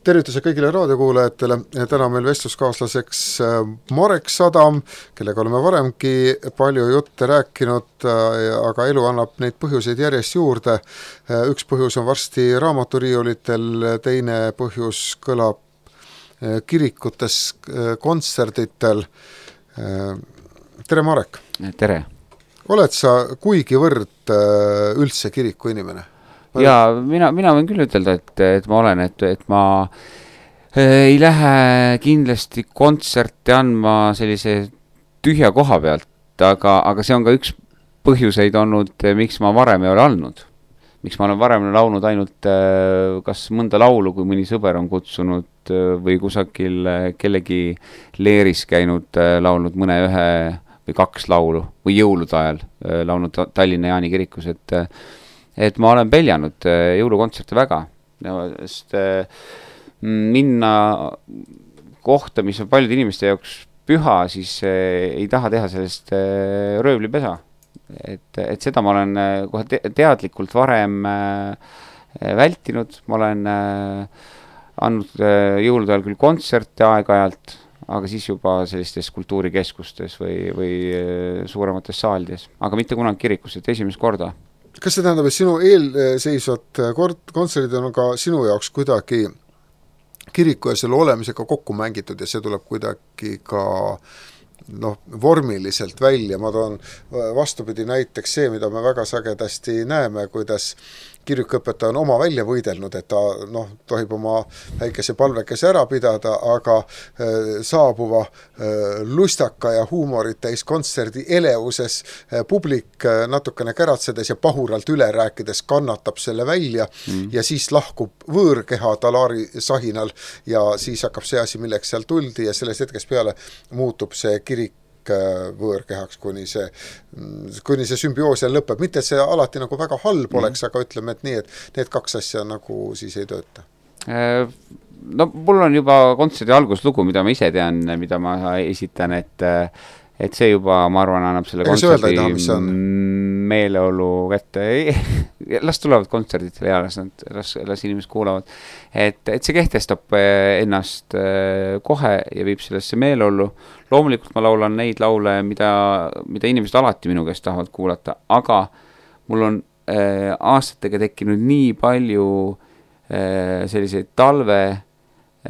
Tervituse kõigile raadiokuulajatele. Täna meil vestluskaaslaseks Marek Sadam, kellega oleme varemgi palju jutte rääkinud, aga elu annab neid põhjuseid järjest juurde. Üks põhjus on varsti raamaturiiulitel, teine põhjus kõlab kirikutes, kontserditel. Tere, Marek! Tere! Oled sa kuigivõrd üldse kiriku inimene? Ja mina võin küll ütelda, et ma olen, et ma ei lähe kindlasti kontserti andma sellise tühja koha pealt, aga see on ka üks põhjuseid olnud, miks ma varem ei ole andnud. Miks ma olen varem laulnud ainult kas mõnda laulu, kui mõni sõber on kutsunud või kusagil kellegi leeris käinud laulnud mõne ühe või kaks laulu või jõulude ajal laulnud Tallinna Jaani kirikus, et ma olen peljanud jõulukontserte väga, sest minna kohta, mis on paljude inimeste jaoks püha, siis ei taha teha sellest röövlipesa. Et seda ma olen kohe teadlikult varem vältinud, ma olen andnud jõulude ajal küll kontserte aeg-ajalt, aga siis juba sellistes kultuurikeskustes või suuremates saalides, aga mitte kunagi kirikus, et esimest korda. Kas see tähendab, et sinu eelseisvad kontserdid on ka sinu jaoks kuidagi kiriku ja selle olemisega kokku mängitud ja see tuleb kuidagi ka vormiliselt välja? Ma toon vastupidi näiteks see, mida me väga sagedasti näeme, kuidas kirikuõpetaja on oma välja võidelnud, et ta tohib oma väikese palvekese ära pidada, aga saabuva lustaka ja huumorit täis kontserdi eleuses publik natukene käratsedes ja pahuralt üle rääkides kannatab selle välja ja siis lahkub võõrkeha talaari sahinal ja siis hakkab see asi, milleks seal tuldi ja sellest hetkest peale muutub see kirik võõrkehaks, kuni see symbioos lõpeb. Mitte, et see alati nagu väga halb oleks, aga ütleme, et nii, et need kaks asja nagu siis ei tööta. Mul on juba kontserdi alguslugu, mida ma ise tean, mida ma esitan, et see juba, ma arvan, annab selle kontserdi meeleolu kätte. Las tulevad kontserdid ja las inimesed kuulavad. Et see kehtestab ennast kohe ja viib sellesse meeleolu. Loomulikult ma laulan neid laule, mida inimesed alati minu käest tahavad kuulata, aga mul on aastatega tekkinud nii palju selliseid talve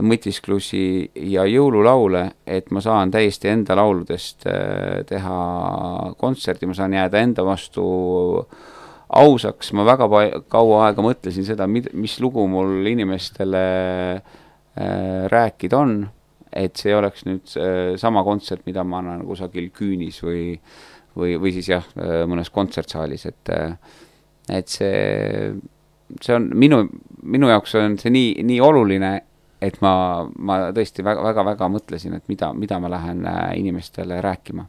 mõtisklusi ja jõululaule, et ma saan täiesti enda lauludest teha kontserti, ma saan jääda enda vastu ausaks. Ma väga kaua aega mõtlesin seda, mis lugu mul inimestele rääkida on, et see oleks nüüd sama kontsert, mida ma annan kusagil Küünis või siis mõnes kontsertsaalis, et see on minu jaoks on see nii oluline, et ma tõesti väga mõtlesin, et mida ma lähen inimestele rääkima.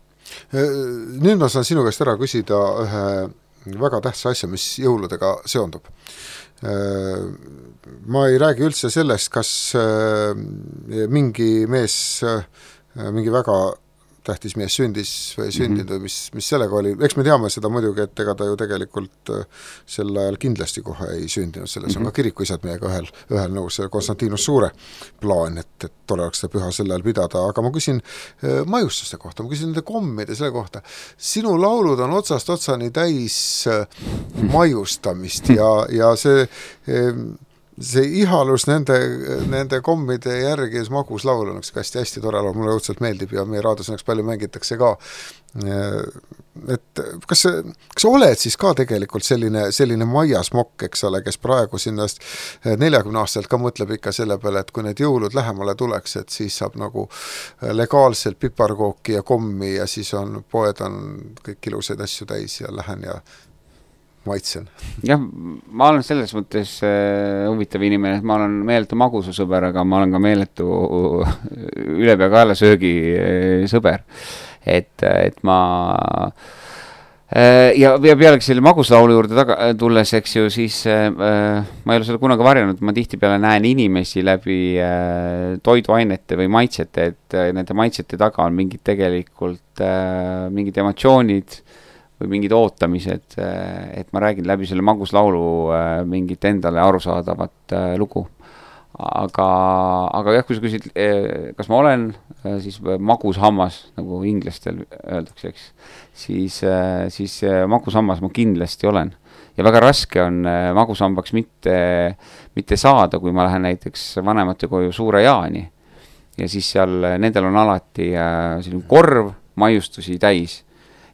Nüüd ma saan sinu käest ära küsida ühe väga tähtsa asja, mis jõuludega seondub. Ma ei räägi üldse sellest, kas mingi mees, mingi väga tähtis mees sündis või sündinud või mis sellega oli. Eks me teame seda muidugi, et ega ta ju tegelikult sel ajal kindlasti kohe ei sündinud. Selles on ka kirikuisad meiega ühel nõus, Konstantinus Suure plaan, et tole oleks seda püha sel ajal pidada. Aga ma küsin majustuste kohta, ma küsin nende kommide selle kohta. Sinu laulud on otsast otsani täis majustamist ja see ihalus nende kommide järgi ja magus laul on hästi tore laul, mulle õudselt meeldib ja meie raadios õnneks palju mängitakse ka. Et kas sa oled siis ka tegelikult selline maiasmokk, eks ole, kes praegu sinnast 40 aastalt ka mõtleb ikka selle peale, et kui need jõulud lähemale tuleks, et siis saab nagu legaalselt piparkooki ja kommi ja siis poed on kõik ilusaid asju täis ja lähen ja maitsen. Jah, ma olen selles mõttes huvitav inimene, et ma olen meeletu magususõber, aga ma olen ka meeletu ülepea kaela söögi sõber. Et ma ja pealegi selle maguslaulu juurde tulles, eks ju, siis ma ei ole seda kunagi varjanud, ma tihti peale näen inimesi läbi toiduainete või maitsete, et nende maitsete taga on mingid tegelikult mingid emotsioonid või mingid ootamised, et ma räägin läbi selle maguslaulu mingit endale arusaadavat lugu. aga jah, kui sa küsid, kas ma olen siis magus hammas, nagu inglastel öeldakse, eks, siis magus hammas ma kindlasti olen. Ja väga raske on magusambaks mitte saada, kui ma lähen näiteks vanemate koju Suure Jaani. Ja siis seal nendel on alati selline korv maiustusi täis.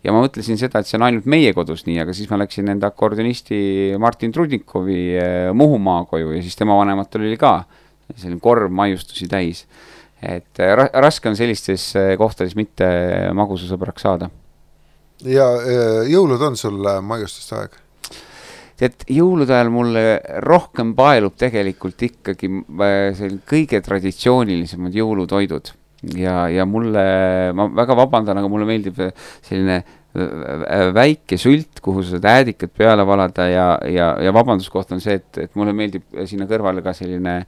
Ja ma mõtlesin seda, et see on ainult meie kodus nii, aga siis ma läksin enda akordionisti Martin Trudnikovi Muhumaa koju ja siis tema vanematel oli ka selline korv maiustusi täis. Et raske on sellistes kohtades mitte magusasõbraks saada. Ja jõulud on sul maiustuste aeg? Et jõulude ajal mulle rohkem paelub tegelikult ikkagi kõige traditsioonilisemad jõulutoidud. Ja mulle, ma väga vabandan, aga mulle meeldib selline väike sült, kuhu sa äädikat peale valada ja vabanduskoht on see, et mulle meeldib sinna kõrvale ka selline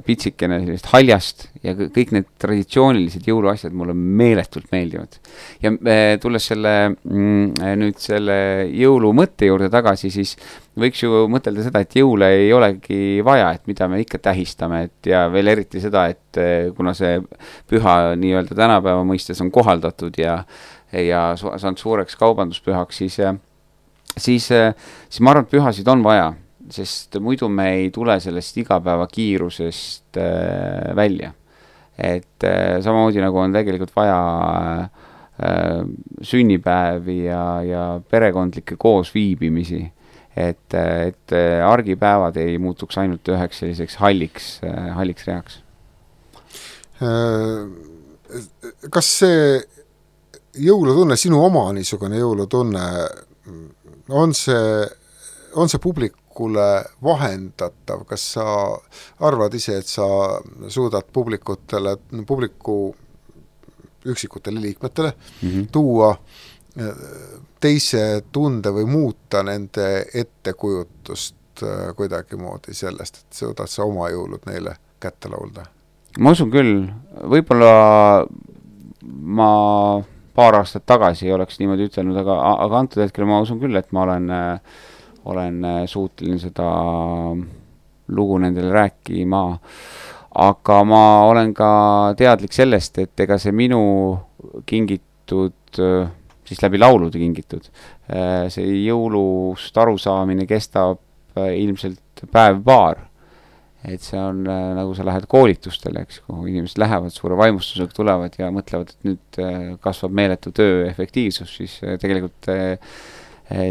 pitsikene sellist haljast ja kõik need traditsioonilised jõuluasjad mulle meeletult meeldivad. Ja tulles nüüd selle jõulu mõtte juurde tagasi, siis võiks ju mõtelda seda, et jõule ei olegi vaja, et mida me ikka tähistame, et ja veel eriti seda, et kuna see püha nii-öelda tänapäeva mõistes on kohaldatud ja saanud suureks kaubanduspühaks, siis ma arvan, et pühasid on vaja, sest muidu me ei tule sellest igapäeva kiirusest välja. Et samamoodi nagu on tegelikult vaja sünnipäevi ja perekondlikke koosviibimisi, et argipäevad ei muutuks ainult üheks selliseks halliks reaks. Kas see jõulutunne, sinu oma niisugune jõulutunne, on see publikule vahendatav? Kas sa arvad ise, et sa suudad publiku üksikutele liikmetele tuua teise tunde või muuta nende ettekujutust kuidagi moodi sellest, et suudad sa oma jõulud neile kätte laulda? Ma usun küll, võib-olla ma paar aastat tagasi ei oleks niimoodi ütelnud, aga antud hetkel ma usun küll, et ma olen suuteline seda lugu nendele rääkima, aga ma olen ka teadlik sellest, et ega see minu kingitud, siis läbi laulude kingitud, see jõulust arusaamine kestab ilmselt päev-paar. Et see on nagu sa lähed koolitustele, eks, kuhu inimesed lähevad suure vaimustusega, tulevad ja mõtlevad, et nüüd kasvab meeletu töö efektiivsus, siis tegelikult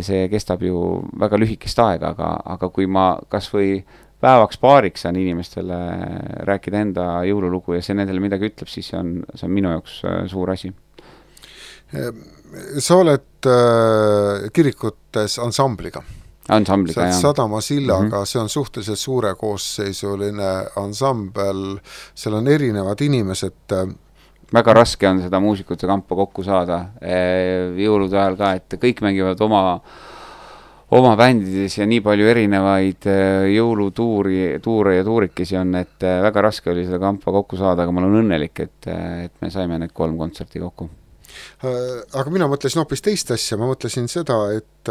see kestab ju väga lühikest aega, aga kui ma kas või päevaks paariks saan inimestele rääkida enda jõululugu ja see nendele midagi ütleb, siis see on minu jaoks suur asi. Sa oled kirikutes ansambliga. Ansambliga, jah. Sadama sillaga, see on suhteliselt suure koosseisuline ansambel, seal on erinevad inimesed. Väga raske on seda muusikute kampa kokku saada jõulude ajal ka, et kõik mängivad oma bändides ja nii palju erinevaid jõulutuure ja tuurikesi on, et väga raske oli seda kampa kokku saada, aga ma olen õnnelik, et me saime need 3 kontserti kokku. Aga mina mõtlesin hoopis teist asja, ma mõtlesin seda, et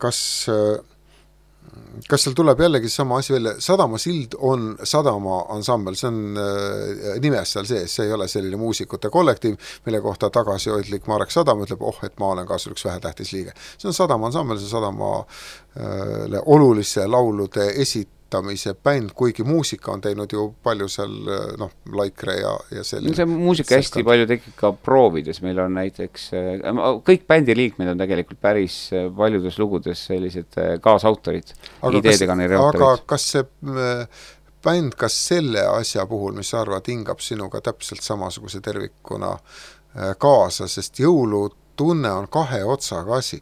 kas seal tuleb jällegi sama asi välja, Sadama sild on Sadama ansambel, see on nimes seal sees, see ei ole selline muusikute kollektiiv, mille kohta tagasihoidlik Marek Sadam ütleb, et ma olen ka sul üks vähetähtis liige. See on Sadama ansambel, see Sadamale olulise laulude esitamise bänd, kuigi muusika on teinud ju palju seal, Laikre ja selline. See muusika hästi palju tekib ka proovides, meil on näiteks, kõik bändi liikmed on tegelikult päris paljudes lugudes sellised kaasautorid, ideedekaneri-autorid. Aga kas see bänd, kas selle asja puhul, mis sa arvad, hingab sinuga täpselt samasuguse tervikuna kaasa, sest jõulutunne on 2 otsaga asi.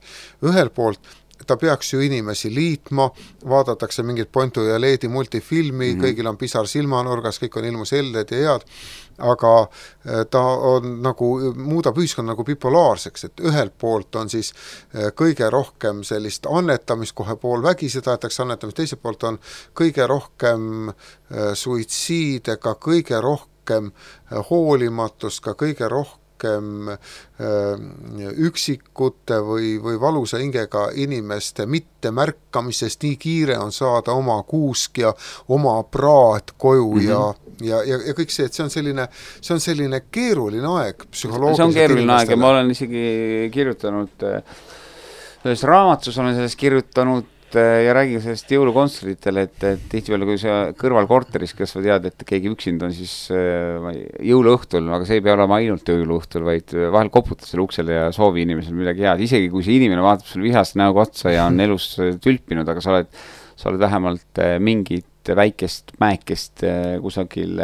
Ühel poolt ta peaks ju inimesi liitma, vaadatakse mingit Pontu ja Leedi multifilmi, kõigil on pisar silmanurgas, kõik on ilmus helded ja head, aga ta on nagu, muudab ühiskond nagu bipolaarseks, et ühelt poolt on siis kõige rohkem sellist annetamist, kohe pool vägisi tahetakse annetamist, teiselt poolt on kõige rohkem suitsiide, ka kõige rohkem hoolimatust, ka kõige rohkem rohkem üksikute või valusa hingega inimeste mittemärkamisest, nii kiire on saada oma kuusk ja oma praad koju ja kõik see, et see on selline keeruline aeg psühholoogiliselt. See on keeruline aeg ja ma olen isegi kirjutanud, selles raamatus olen sellest kirjutanud ja räägin sellest jõulukontserditele, et tihtipeale, kui sa kõrval korteris, kas sa tead, et keegi üksinda on siis jõuluõhtul, aga see ei pea olema ainult jõuluõhtul, vaid vahel koputad selle uksele ja soovi inimesel midagi head, isegi kui see inimene vaatab sul vihast näoga otsa ja on elus tülpinud, aga sa oled vähemalt mingit väikest mäekest kusagil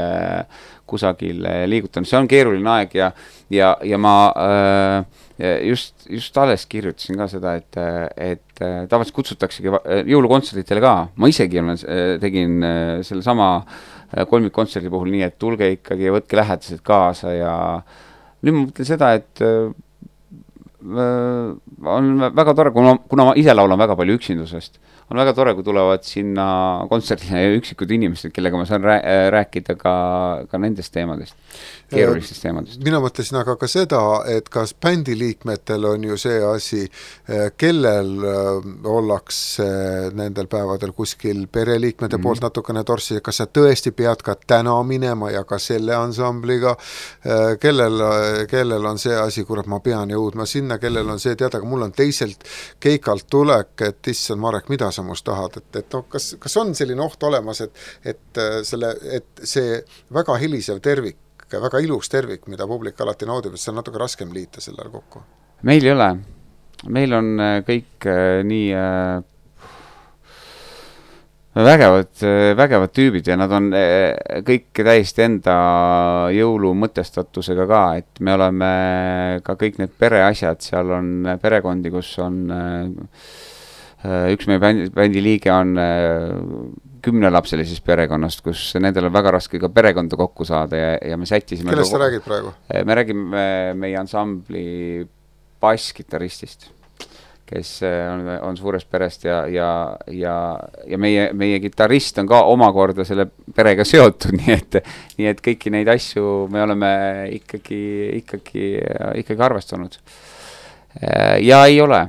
liigutanud. See on keeruline aeg ja ma just alles kirjutasin ka seda, et tavaliselt kutsutaksegi jõulukontserditele ka. Ma isegi tegin selle sama kolmikkontserdi puhul nii, et tulge ikkagi ja võtke lähedased kaasa ja nüüd ma mõtlen seda, et on väga tore, kuna ma ise laulan väga palju üksindusest, on väga tore, kui tulevad sinna kontserdile üksikud inimesed, kellega ma saan rääkida ka nendest teemadest, keerulistest teemadest. Mina mõtlesin aga ka seda, et kas bändiliikmetel on ju see asi, kellel ollakse nendel päevadel kuskil pereliikmete poolt natukene torsi, kas sa tõesti pead ka täna minema ja ka selle ansambliga, kellel on see asi, kurat, ma pean jõudma sinna, kellel on see teada, aga mul on teiselt keikalt tulek, et issand Marek, mida sa must tahad, et kas on selline oht olemas, et see väga helisev tervik, väga ilus tervik, mida publik alati naudib, et see on natuke raskem liita sellele kokku? Meil ei ole. Meil on kõik nii vägevad tüübid ja nad on kõik täiesti enda jõulu mõtestatusega ka, et me oleme ka kõik need pereasjad, seal on perekondi, kus on üks meie bändi liige on 10-lapselises perekonnast, kus nendel on väga raske ka perekonda kokku saada ja me sättisime... Kellest sa räägid praegu? Me räägime meie ansambli basskitarristist, kes on suurest perest ja meie kitarrist on ka omakorda selle perega seotud, nii et kõiki neid asju me oleme ikkagi arvestanud. Ja ei ole.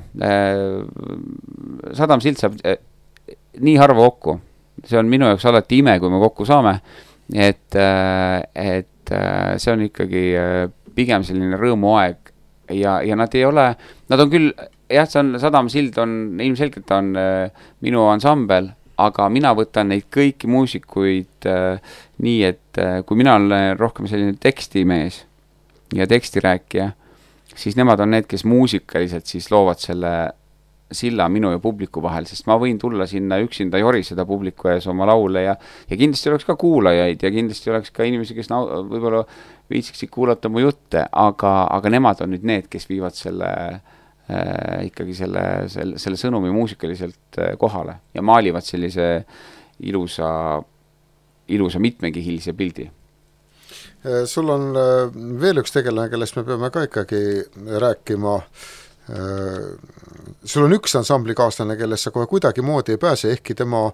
Sadam Sild saab nii harva kokku. See on minu jaoks alati ime, kui me kokku saame, et see on ikkagi pigem selline rõõmuaeg ja nad ei ole, nad on küll, jah, Sadam Sild on, ilmselgelt on minu ansambel, aga mina võtan neid kõiki muusikuid nii, et kui mina olen rohkem selline tekstimees ja tekstirääkija, siis nemad on need, kes muusikaliselt siis loovad selle silla minu ja publiku vahel, sest ma võin tulla sinna üksinda joriseda publiku ees oma laule ja kindlasti oleks ka kuulajaid ja kindlasti oleks ka inimesi, kes võib-olla viitsiksid kuulata mu jutte, aga nemad on nüüd need, kes viivad ikkagi selle sõnumi muusikaliselt kohale ja maalivad sellise ilusa mitmekihilise pildi. Sul on veel üks tegelane, kellest me peame ka ikkagi rääkima. Sul on üks ansamblikaaslane, kellest sa kohe kuidagi moodi ei pääse, ehkki tema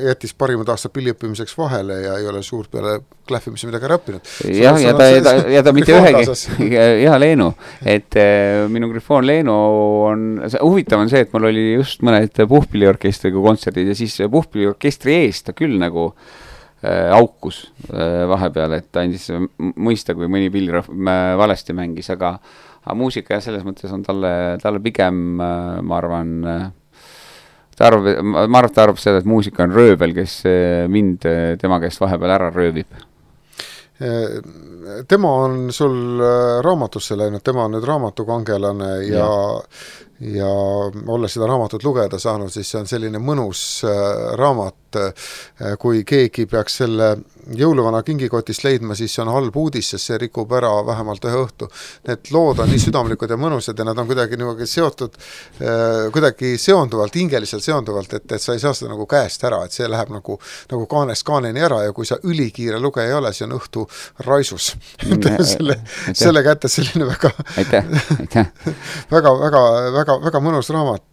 jättis parimad aastad pilliõppimiseks vahele ja ei ole suurt peale klähvimise midagi räppinud. Jah, ja ta mitte ühegi, jah, Leenu, et minu Grifoon Leenu on, huvitav on see, et mul oli just mõned puhpilliorkestriga kontserdid ja siis puhpilliorkestri eest ta küll nagu aukus vahepeal, et ta andis mõista, kui mõni pillirahv valesti mängis, aga muusika ja selles mõttes on talle pigem, ma arvan, ta arvab seda, et muusika on röövel, kes mind tema käest vahepeal ära röövib. Tema on sul raamatusse läinud, tema on nüüd raamatukangelane ja olles seda raamatut lugeda saanud, siis see on selline mõnus raamat, kui keegi peaks selle jõuluvana kingikotist leidma, siis see on halb uudis, sest see rikub ära vähemalt ühe õhtu. Need lood on nii südamlikud ja mõnusad ja nad on kuidagi seotud, kuidagi seonduvalt, hingeliselt seonduvalt, et sa ei saa seda nagu käest ära, et see läheb nagu kaanest kaaneni ära ja kui sa ülikiire lugeja ei ole, see on õhtu raisus. selle kätte selline väga mõnus raamat,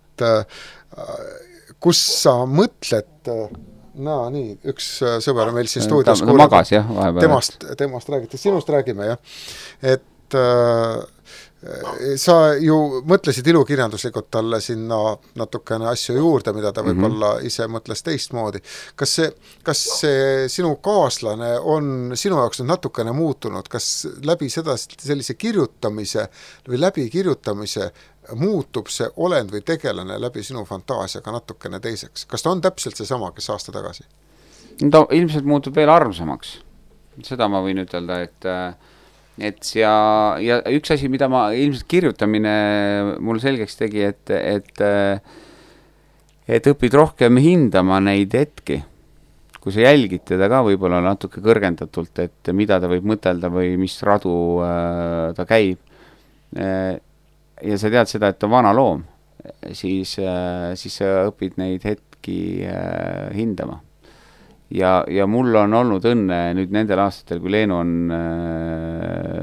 kus sa mõtled No nii, üks sõber meil siin stuudios ta magas, jah, vahepeal. Temast räägite, sinust räägime, jah. Et sa ju mõtlesid ilukirjanduslikult talle sinna natukene asju juurde, mida ta võib-olla ise mõtles teistmoodi. Kas see sinu kaaslane on sinu jaoks natukene muutunud? Kas läbi seda sellise kirjutamise või läbi kirjutamise muutub see olend või tegelane läbi sinu fantaasiaga natukene teiseks? Kas ta on täpselt see sama, kes aasta tagasi? Ta ilmselt muutub veel armsamaks. Seda ma võin ütelda, et ja üks asi, mida ma ilmselt kirjutamine mul selgeks tegi, et õpid rohkem hindama neid hetki, kui sa jälgid teda ka võib-olla natuke kõrgendatult, et mida ta võib mõtelda või mis radu ta käib. Ja sa tead seda, et ta on vana loom, siis sa õpid neid hetki hindama. Ja mul on olnud õnne nüüd nendel aastatel, kui Leenu on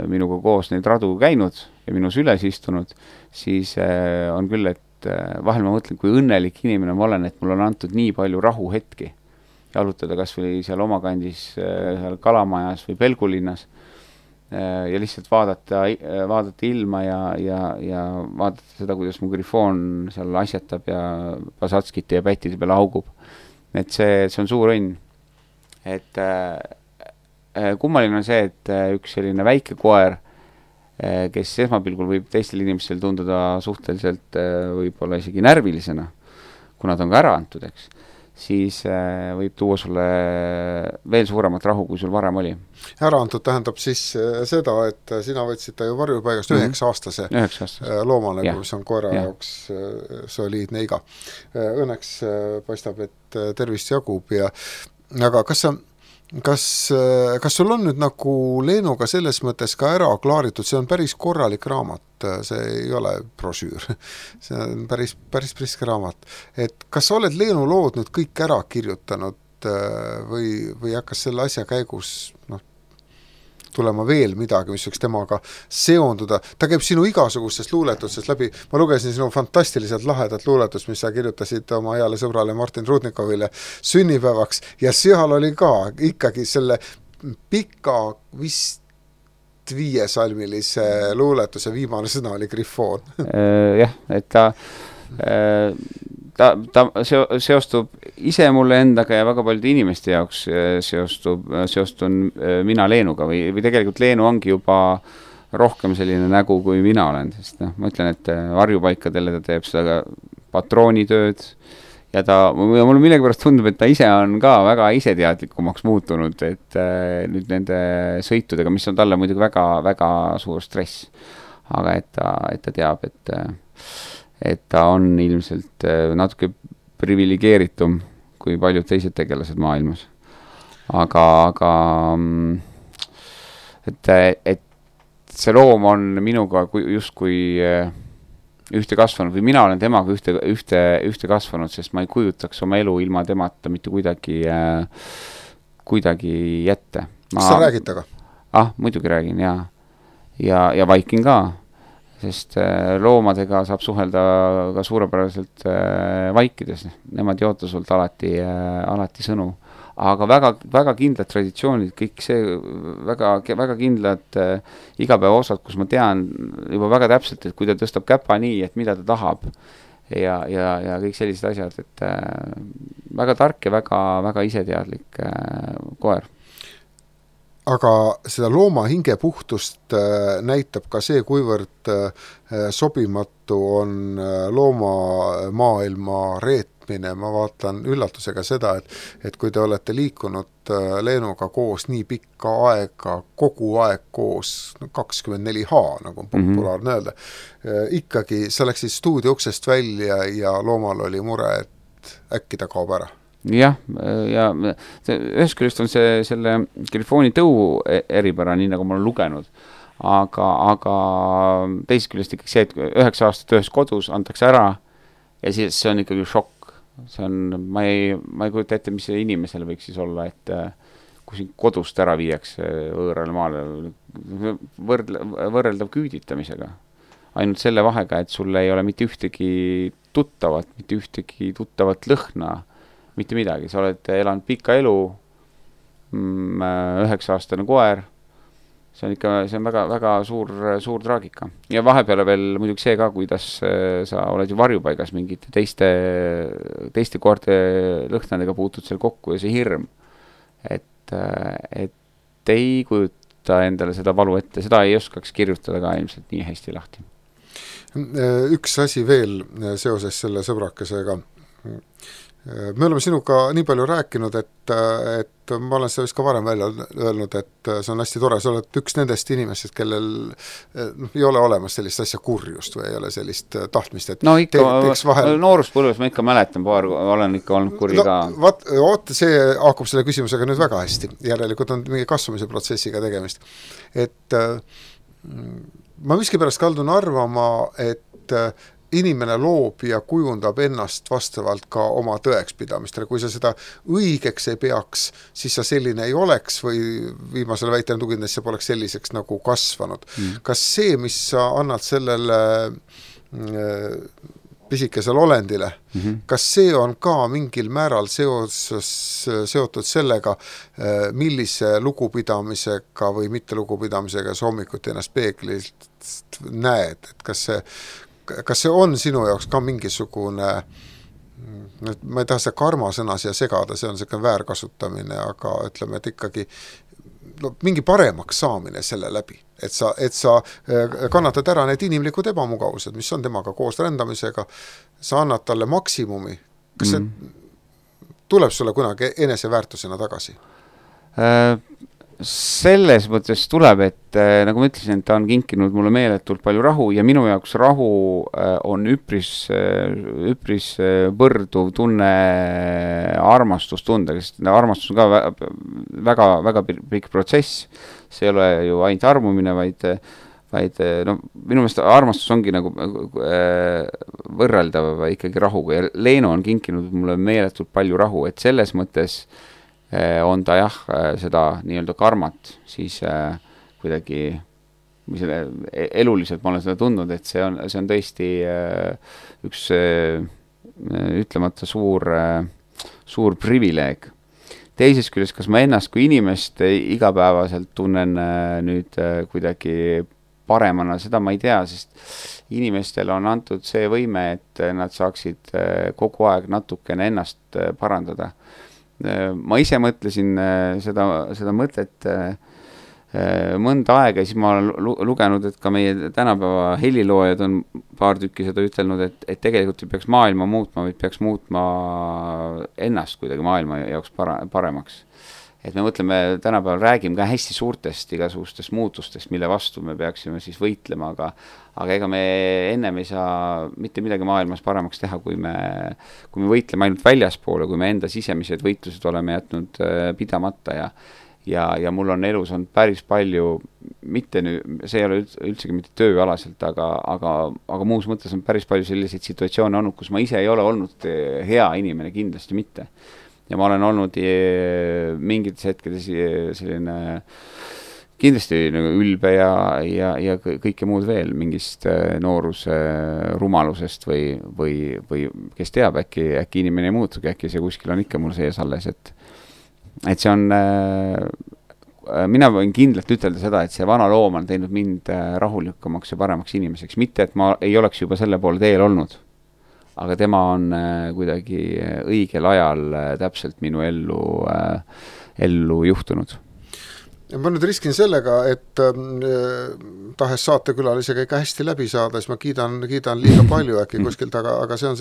minuga koos neid radu käinud ja minus üles istunud, siis on küll, et vahel ma mõtlen, kui õnnelik inimene ma olen, et mul on antud nii palju rahuhetki jalutada kas või seal omakandis seal Kalamajas või Pelgulinnas ja lihtsalt vaadata ilma ja vaadata seda, kuidas mu grifoon seal asjatab ja Pasatskite ja pättide peale augub. Et see on suur õnn. Et kummaline on see, et üks selline väike koer, kes esmapilgul võib teistel inimestel tunduda suhteliselt võib-olla isegi närvilisena, kuna ta on ka ära antud, eks, siis võib tuua sulle veel suuremat rahu, kui sul varem oli. Ära antud tähendab siis seda, et sina võtsid ta ju varjupaigast 9-aastase loomale, mis on koera jaoks soliidne iga. Õnneks paistab, et tervist jagub aga kas sul on nüüd nagu Leenuga selles mõttes ka ära klaaritud, see on päris korralik raamat, see ei ole brošüür, see on päris priske raamat, et kas sa oled Leenu lood nüüd kõik ära kirjutanud või hakkas selle asja käigus tulema veel midagi, mis võiks temaga seonduda. Ta käib sinu igasugustest luuletustest läbi. Ma lugesin sinu fantastiliselt lahedat luuletust, mis sa kirjutasid oma heale sõbrale Martin Rudnikovile sünnipäevaks ja seal oli ka ikkagi selle pika vist 5-salmilise luuletuse viimane sõna oli grifoon. Jah, et ta seostub ise mulle endaga ja väga paljude inimeste jaoks seostun mina Leenuga või tegelikult Leenu ongi juba rohkem selline nägu, kui mina olen, sest ma ütlen, et varjupaikadele ta teeb seda patroonitööd ja mulle millegipärast tundub, et ta ise on ka väga iseteadlikumaks muutunud, et nüüd nende sõitudega, mis on talle muidugi väga, väga suur stress, aga et ta teab, et ta on ilmselt natuke privilegeeritum kui paljud teised tegelased maailmas. Aga et see loom on minuga justkui ühte kasvanud või mina olen temaga ühte kasvanud, sest ma ei kujutaks oma elu ilma temata mitte kuidagi jätte. Kas sa räägid taga? Muidugi räägin, ja vaikin ka. Sest loomadega saab suhelda ka suurepäraselt vaikides. Nemad ei oota sult alati sõnu. Aga väga, väga kindlad traditsioonid, kõik see väga, väga kindlad igapäeva osad, kus ma tean juba väga täpselt, et kui ta tõstab käpa nii, et mida ta tahab ja kõik sellised asjad, et väga tark ja väga, väga iseteadlik koer. Aga seda looma hingepuhtust näitab ka see, kuivõrd sobimatu on loomamaailma reetmine. Ma vaatan üllatusega seda, et kui te olete liikunud Leenuga koos nii pikka aega, kogu aeg koos, 24H, nagu on populaarne öelda, ikkagi sa läksid stuudio uksest välja ja loomal oli mure, et äkki ta kaob ära. Jah, ja ühest küljest on selle grifooni tõu eripära, nii nagu ma olen lugenud, aga teisest küljest ikkagi see, et 9 aastat ühes kodus antakse ära ja siis see on ikkagi šokk. Ma ei kujuta ette, mis see inimesel võiks siis olla, et kui siin kodust ära viiakse võõrale maale, võrreldav küüditamisega. Ainult selle vahega, et sul ei ole mitte ühtegi tuttavat lõhna, mitte midagi, sa oled elanud pikka elu, 9-aastane koer, see on väga, väga suur traagika. Ja vahepeale veel muidugi see ka, kuidas sa oled ju varjupaigas mingite teiste koerte lõhnadega puutud seal kokku ja see hirm, et ei kujuta endale seda valu ette, seda ei oskaks kirjutada ka ilmselt nii hästi lahti. Üks asi veel seoses selle sõbrakesega. Me oleme sinuga nii palju rääkinud, et ma olen seda vist ka varem välja öelnud, et see on hästi tore, sa oled üks nendest inimestest, kellel ei ole olemas sellist asja kurjust või ei ole sellist tahtmist, et no ikka, nooruspõlves ma ikka mäletan, olen ikka olnud kuri ka. Oot, see haakub selle küsimusega nüüd väga hästi, järelikult on mingi kasvamise protsessiga tegemist, et ma miskipärast kaldun arvama, et inimene loob ja kujundab ennast vastavalt ka oma tõekspidamistele. Kui sa seda õigeks ei peaks, siis sa selline ei oleks või viimasele väitele tuginedes sa poleks selliseks nagu kasvanud. Kas see, mis sa annad sellele pisikesel olendile, kas see on ka mingil määral seotud sellega, millise lugupidamisega või mitte lugupidamisega sa hommikuti ennast peeglilt näed, et kas see on sinu jaoks ka mingisugune, ma ei taha seda karmasõna siia segada, see on selline väärkasutamine, aga ütleme, et ikkagi mingi paremaks saamine selle läbi, et sa kannatad ära need inimlikud ebamugavused, mis on temaga koos rändamisega, sa annad talle maksimumi, kas see tuleb sulle kunagi eneseväärtusena tagasi? Selles mõttes tuleb, et nagu ma ütlesin, ta on kinkinud mulle meeletult palju rahu ja minu jaoks rahu on üpris võrduv tunne armastustundega, sest armastus on ka väga, väga pikk protsess. See ei ole ju ainult armumine, vaid no, minu meelest armastus ongi nagu võrreldav ikkagi rahuga ja Leeno on kinkinud mulle meeletult palju rahu, et selles mõttes on ta jah, seda nii-öelda karmat, siis kuidagi eluliselt ma olen seda tundnud, et see on tõesti üks ütlemata suur privileeg. Teises küljest, kas ma ennast kui inimest igapäevaselt tunnen nüüd kuidagi paremana, seda ma ei tea, sest inimestel on antud see võime, et nad saaksid kogu aeg natukene ennast parandada. Ma ise mõtlesin seda mõtet mõnda aega ja siis ma olen lugenud, et ka meie tänapäeva heliloojad on paar tükki seda ütelnud, et tegelikult ei peaks maailma muutma, vaid peaks muutma ennast kuidagi maailma jaoks paremaks. Et me mõtleme, tänapäeval räägime ka hästi suurtest igasugustest muutustest, mille vastu me peaksime siis võitlema, aga ega me ennem ei saa mitte midagi maailmas paremaks teha, kui me võitleme ainult väljaspoole, kui me enda sisemised võitlused oleme jätnud pidamata ja mul on elus on päris palju, see ei ole üldsegi mitte tööalaselt, aga muus mõttes on päris palju selliseid situatsioone olnud, kus ma ise ei ole olnud hea inimene, kindlasti mitte. Ja ma olen olnud mingites hetkedes selline kindlasti nagu ülbe ja kõike muud veel mingist nooruse rumalusest või kes teab, äkki inimene ei muutugi, äkki see kuskil on ikka mul sees alles, et see on, mina võin kindlalt ütelda seda, et see vana loom on teinud mind rahulikumaks ja paremaks inimeseks, mitte et ma ei oleks juba selle poole teel olnud. Aga tema on kuidagi õigel ajal täpselt minu ellu juhtunud. Ma nüüd riskin sellega, et tahes saatekülalisega ikka hästi läbi saada, siis ma kiidan liiga palju äkki kuskilt, aga see on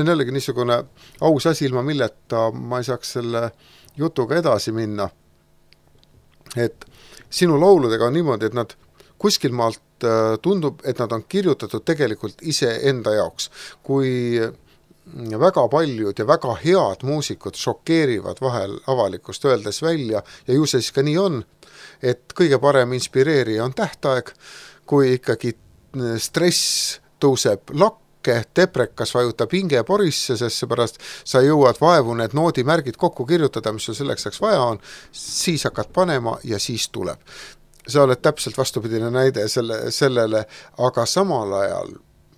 jällegi niisugune aus asi, ilma milleta ma ei saaks selle jutuga edasi minna. Et sinu lauludega on niimoodi, et nad kuskil maalt tundub, et nad on kirjutatud tegelikult ise enda jaoks. Kui väga paljud ja väga head muusikud šokeerivad vahel avalikkust öeldes välja ja ju see siis ka nii on, et kõige parem inspireerija on tähtaeg, kui ikkagi stress tõuseb lakke, teprekas vajutab hinge porisse, sest seepärast sa jõuad vaevu need noodimärgid kokku kirjutada, mis sul selleks vaja on, siis hakkad panema ja siis tuleb. Sa oled täpselt vastupidine näide sellele, aga samal ajal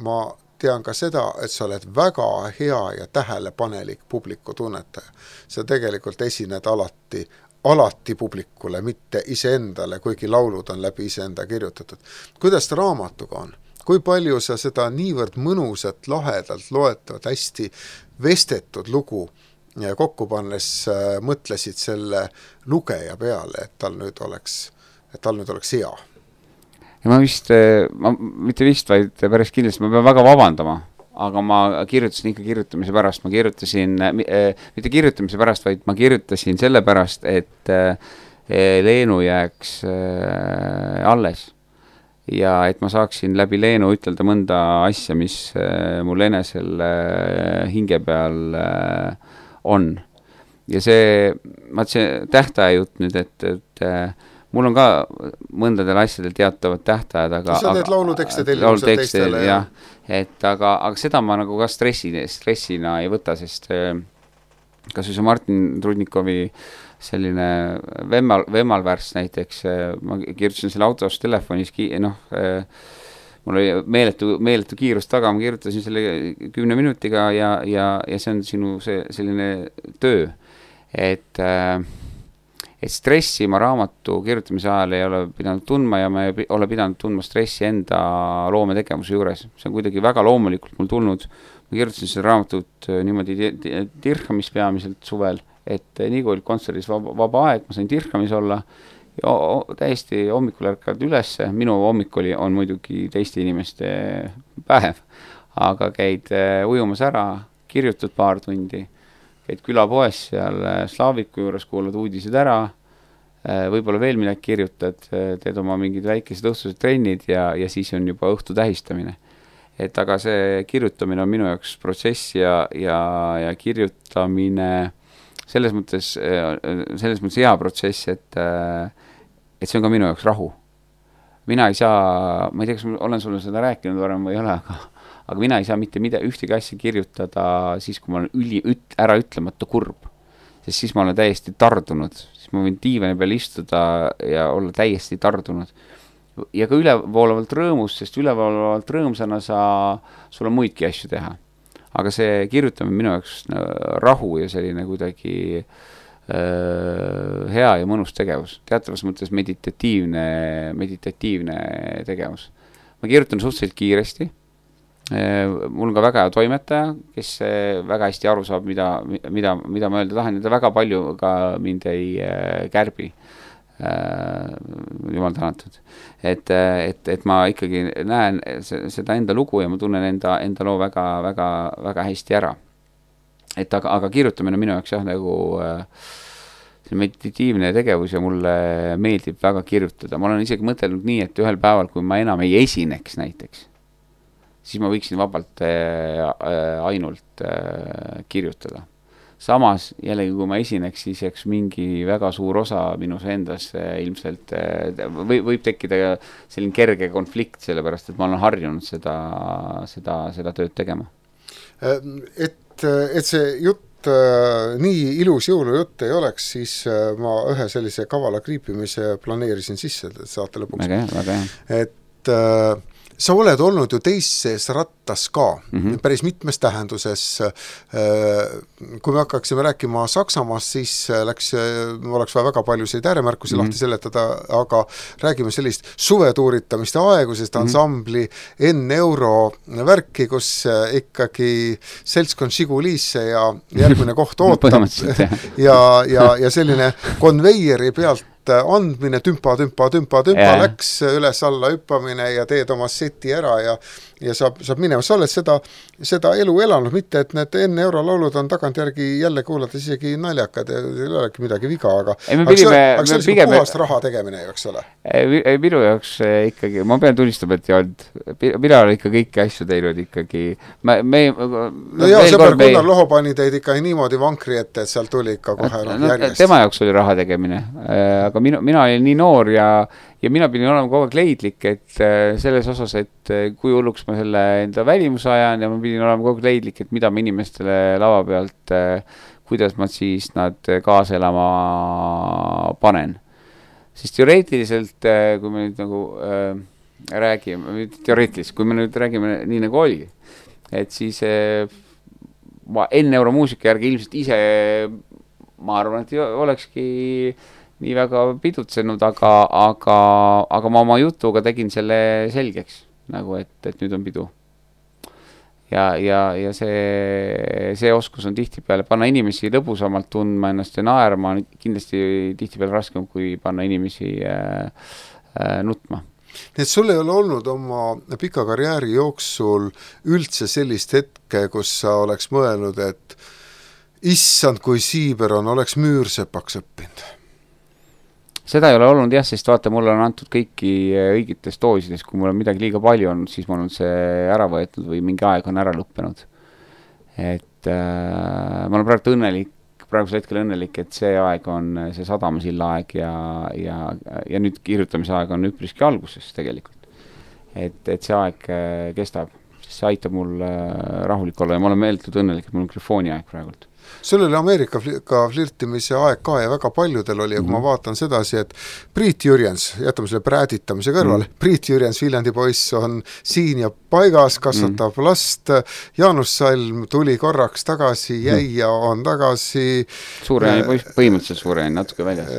ma tean ka seda, et sa oled väga hea ja tähelepanelik publiku tunnetaja. Sa tegelikult esined alati publikule, mitte iseendale, kuigi laulud on läbi iseenda kirjutatud. Kuidas ta raamatuga on? Kui palju sa seda niivõrd mõnusat, lahedalt loetavat, hästi vestetud lugu kokku pannes mõtlesid selle lugeja peale, et tal nüüd oleks hea? Ja ma mitte vist, vaid päris kindlasti ma pean väga vabandama, aga ma kirjutasin ikka kirjutamise pärast. Ma kirjutasin, mitte kirjutamise pärast, vaid ma kirjutasin selle pärast, et Leenu jääks alles. Ja et ma saaksin läbi Leenu ütelda mõnda asja, mis mul enesel hinge peal on. Ja see tähtaja jutt nüüd, et mul on ka mõndadel asjadel teatavad tähtajad, aga sa teed laulutekste tellimused teistele. Jah, aga seda ma nagu ka stressina ei võta, sest kas see Martin Trudnikovi selline Vemmalvärss näiteks, ma kirjutasin selle autos telefonis, mul oli meeletu kiirus taga, ma kirjutasin selle 10 minutiga ja see on sinu selline töö, et stressi ma raamatu kirjutamise ajal ei ole pidanud tundma ja ma ei ole pidanud tundma stressi enda loometegevuse juures. See on kuidagi väga loomulikult mul tulnud. Ma kirjutasin seda raamatut niimoodi Dirhamis peamiselt suvel, et nii kui oli kontserdis vaba aeg, ma sain Dirhamis olla ja täiesti hommikul ärkad ülesse. Minu hommik on muidugi teiste inimeste päev, aga käid ujumas ära, kirjutad paar tundi, käid külapoes seal Slaaviku juures, kuulad uudised ära, võib-olla veel midagi kirjutad, teed oma mingid väikesed õhtused trennid ja siis on juba õhtu tähistamine. Et aga see kirjutamine on minu jaoks protsess ja kirjutamine selles mõttes hea protsess, et see on ka minu jaoks rahu. Mina ei saa, ma ei tea, kas ma olen sulle seda rääkinud varem või ei ole, aga mina ei saa mitte ühtegi asja kirjutada siis, kui ma olen ära ütlemata kurb. Sest siis ma olen täiesti tardunud. Siis ma võin diivani peal istuda ja olla täiesti tardunud. Ja ka ülevoolavalt rõõmus, sest ülevoolavalt rõõmsana sul on muidki asju teha. Aga see kirjutamine minu jaoks rahu ja selline kuidagi hea ja mõnus tegevus. Teatavas mõttes meditatiivne tegevus. Ma kirjutan suhteliselt kiiresti. Mul on ka väga hea toimetaja, kes väga hästi aru saab, mida ma öelda tahan, ja ta väga palju ka mind ei kärbi. Jumal tänatud. Et ma ikkagi näen seda enda lugu ja ma tunnen enda loo väga, väga, väga hästi ära. Aga kirjutamine minu jaoks nagu meditatiivne tegevus ja mulle meeldib väga kirjutada. Ma olen isegi mõtelnud nii, et ühel päeval, kui ma enam ei esineks näiteks, siis ma võiksin vabalt ainult kirjutada. Samas, jällegi, kui ma esineks, siis jääks mingi väga suur osa minus endas ilmselt võib tekkida selline kerge konflikt, sellepärast, et ma olen harjunud seda tööd tegema. Et see jutt nii ilus jõulujutt ei oleks, siis ma ühe sellise kavala kriipimise planeerisin sisse saate lõpuks. Väga. Et sa oled olnud ju teises rattas ka, päris mitmes tähenduses. Kui me hakkaksime rääkima Saksamaast, siis oleks vaja väga paljusid ääremärkusi lahti seletada, aga räägime sellist suvetuuritamist ja aegusest ansambli N-Euro värki, kus ikkagi seltskond Žigulisse ja järgmine koht ootab ja selline konveieri pealt andmine, tümpa läks üles alla hüppamine ja teed oma seti ära ja saab minema. Sa oled seda elu elanud, mitte et need N-Euro laulud on tagantjärgi jälle kuulata isegi naljakad ja ei olegi midagi viga, aga see oli puhast raha tegemine, eks ole? Minu jaoks ikkagi, ma pean tunnistama, et ei olnud. Mina olen ikka kõiki asju teinud ikkagi. Sõber Gunnar Loho pani teid ikka niimoodi vankri ette, et seal tuli ikka kohe järjest. Tema jaoks oli raha tegemine, aga mina olin nii noor ja mina pidin olema kogu aeg leidlik, et selles osas, et kui hulluks ma selle enda välimuse ajan ja ma pidin olema kogu aeg leidlik, et mida ma inimestele lava pealt, kuidas ma siis nad kaasa elama panen. Sest teoreetiliselt, kui me nüüd nagu räägime, teoreetiliselt, kui me nüüd räägime nii nagu oligi, et siis ma enne euromuusika järgi ilmselt ise, ma arvan, et olekski nii väga pidutsenud, aga ma oma jutuga tegin selle selgeks, nagu et nüüd on pidu. Ja see oskus on tihtipeale panna inimesi lõbusamalt tundma ennast ja naerma on kindlasti tihtipeale raskem, kui panna inimesi nutma. Nii et sul ei ole olnud oma pika karjääri jooksul üldse sellist hetke, kus sa oleks mõelnud, et issand, kui siiber on, oleks müürsepaks õppinud? Seda ei ole olnud jah, sest vaata, mulle on antud kõiki õigetes doosides, kui mul on midagi liiga palju olnud, siis mul on see ära võetud või mingi aeg on ära lõppenud. Et ma olen praegusel hetkel õnnelik, et see aeg on see Sadamasilla aeg ja nüüd kirjutamise aeg on üpriski alguses tegelikult. Et see aeg kestab, sest see aitab mul rahulik olla ja ma olen meeltud õnnelik, et mul on telefooni aeg praegult. Sul oli Ameerikaga flirtimise aeg ka ja väga paljudel oli ja kui ma vaatan sedasi, et Priit Jürjens, jätame selle prääditamise kõrvale, Priit Jürjens, Viljandi poiss on siin ja paigas, kasvatab last, Jaanus Salm tuli korraks tagasi, jäi ja on tagasi. Suurejani poiss, põhimõtteliselt Suurejani, natuke väljas.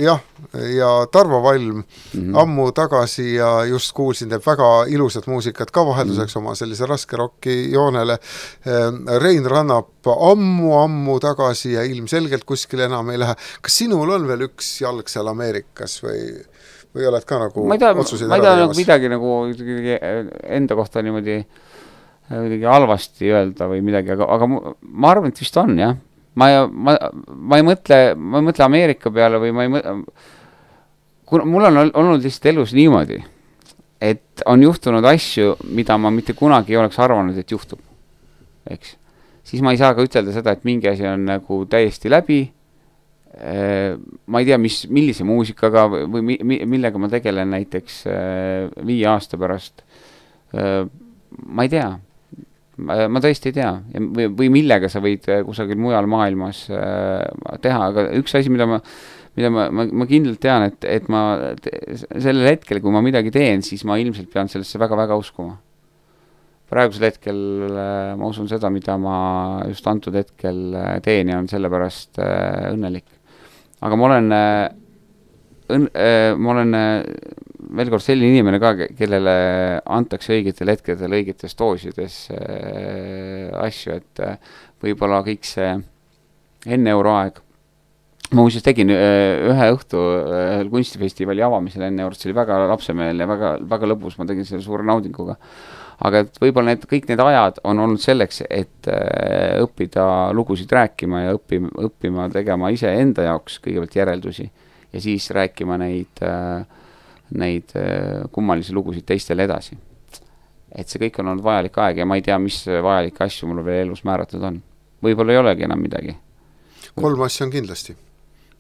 Jah, ja Tarvo Valm ammu tagasi ja just kuulsin, teeb väga ilusat muusikat ka vahelduseks oma sellise raske rocki joonele. Rein Rannap ammu tagasi ja ilmselgelt kuskil enam ei lähe. Kas sinul on veel üks jalg seal Ameerikas või oled ka nagu otsuseid ära tegemas? Nagu midagi nagu enda kohta niimoodi halvasti öelda või midagi, aga ma arvan, et vist on, jah. Ma ei mõtle Ameerika peale või ma ei mõtle, mul on olnud lihtsalt elus niimoodi, et on juhtunud asju, mida ma mitte kunagi ei oleks arvanud, et juhtub, eks. Siis ma ei saa ka ütelda seda, et mingi asi on nagu täiesti läbi, ma ei tea, millise muusikaga või millega ma tegelen näiteks 5 aasta pärast, ma ei tea, ma tõesti ei tea, või millega sa võid kusagil mujal maailmas teha, aga üks asi, mida ma kindlalt tean, et ma sellel hetkel, kui ma midagi teen, siis ma ilmselt pean sellesse väga-väga uskuma. Praegusel hetkel ma usun seda, mida ma just antud hetkel teen ja on sellepärast õnnelik. Aga ma olen veel kord selline inimene ka, kellele antakse õigetel hetkedel õigetes doosides asju, et võib-olla kõik see enne euroaeg. Ma muuseas tegin ühe õhtu kunstifestivali avamisel enne eurot, see oli väga lapsemeel ja väga lõbus, ma tegin selle suure naudinguga. Aga et võib-olla kõik need ajad on olnud selleks, et õppida lugusid rääkima ja õppima tegema ise enda jaoks kõigepealt järeldusi ja siis rääkima neid kummalisi lugusid teistele edasi. Et see kõik on olnud vajalik aeg ja ma ei tea, mis vajalikke asju mul veel elus määratud on. Võib-olla ei olegi enam midagi. 3 asja on kindlasti.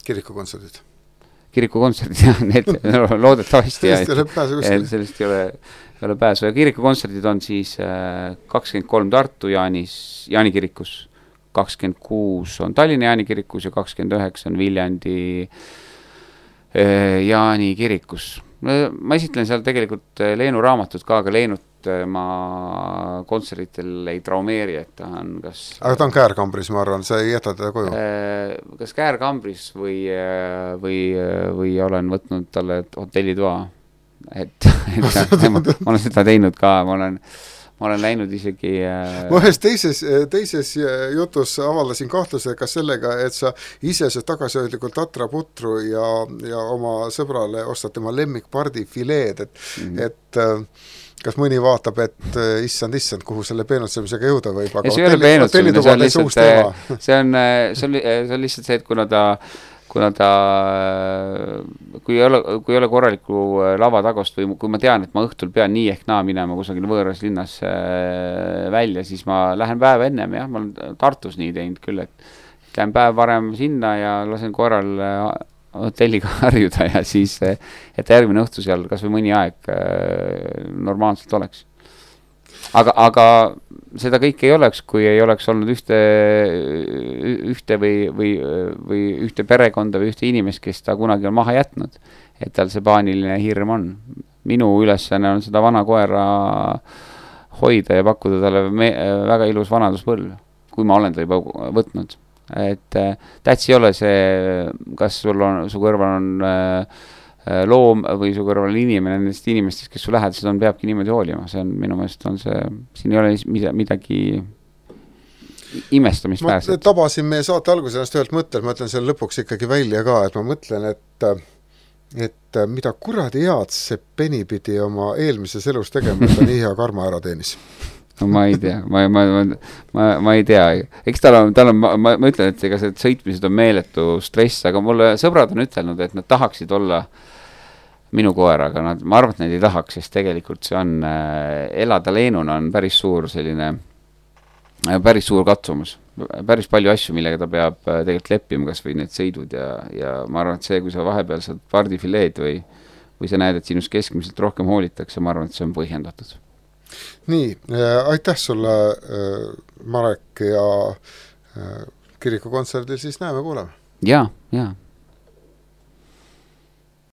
Kirikukontserdid. Kirikukontserdid, jah, need loodetavasti. Sellest ei ole pääsu. Ja kirikukontserdid on siis 23 Tartu Jaani kirikus, 26 on Tallinna Jaani kirikus ja 29 on Viljandi Jaani kirikus. Ma esitlen seal tegelikult Leenu raamatut ka, aga Leenut ma kontseritel ei traumeeri, et ta on kas... Aga ta on käärkambris, ma arvan, sa ei jäta teda koju? Kas käärkambris või olen võtnud talle hotellitoa, et ma olen seda teinud ka, ma olen läinud isegi... Ma ühes teises jutus avaldasin kahtluse ka sellega, et sa ise see tagasihoidlikult tatraputru ja oma sõbrale ostad tema lemmikpardi fileed, et kas mõni vaatab, et issand, kuhu selle peenutsemisega jõuda võib, aga see ei ole peenutsemine, see on lihtsalt see, et kuna ta kui ei ole korraliku lava tagost või kui ma tean, et ma õhtul pean nii ehk naa minema kusagil võõras linnas välja, siis ma lähen päev ennem, jah, ma olen Tartus nii teinud küll, et lähen päev varem sinna ja lasen korral hotelliga harjuda ja siis, et järgmine õhtu seal kas või mõni aeg normaalselt oleks. Aga seda kõike ei oleks, kui ei oleks olnud ühte või ühte perekonda või ühte inimest, kes ta kunagi on maha jätnud, et tal see paaniline hirm on. minu ülesanne on seda vana koera hoida ja pakkuda talle väga ilus vanaduspõlv, kui ma olen ta juba võtnud. Et täts ei ole see, kas su kõrval on loom või su kõrval on inimene, nendest inimestest, kes su lähedased on, peabki niimoodi hoolima. See on minu meelest on see, siin ei ole midagi imestamist väärselt. Ma tabasin meie saate alguses ennast ühelt mõttel, ma ütlen selle lõpuks ikkagi välja ka, et ma mõtlen, et mida kuradi head see Penny pidi oma eelmises elus tegema, et ta nii hea karma ära teenis. No ma ei tea, ma ei tea. Eks tal on, ma ütlen, et ega see sõitmised on meeletu stress, aga mulle sõbrad on ütelnud, et nad tahaksid olla minu koeraga, ma arvan, et nad ei tahaks, sest tegelikult see on, elada leenuna on päris suur selline, päris suur katsumus, päris palju asju, millega ta peab tegelikult leppima, kas või need sõidud ja ma arvan, et see, kui sa vahepeal saad pardifileed või sa näed, et sinust keskmiselt rohkem hoolitakse, ma arvan, et see on põhjendatud. Nii, aitäh sulle, Marek, ja kirikukontserdil siis näeme, kuuleme. Ja.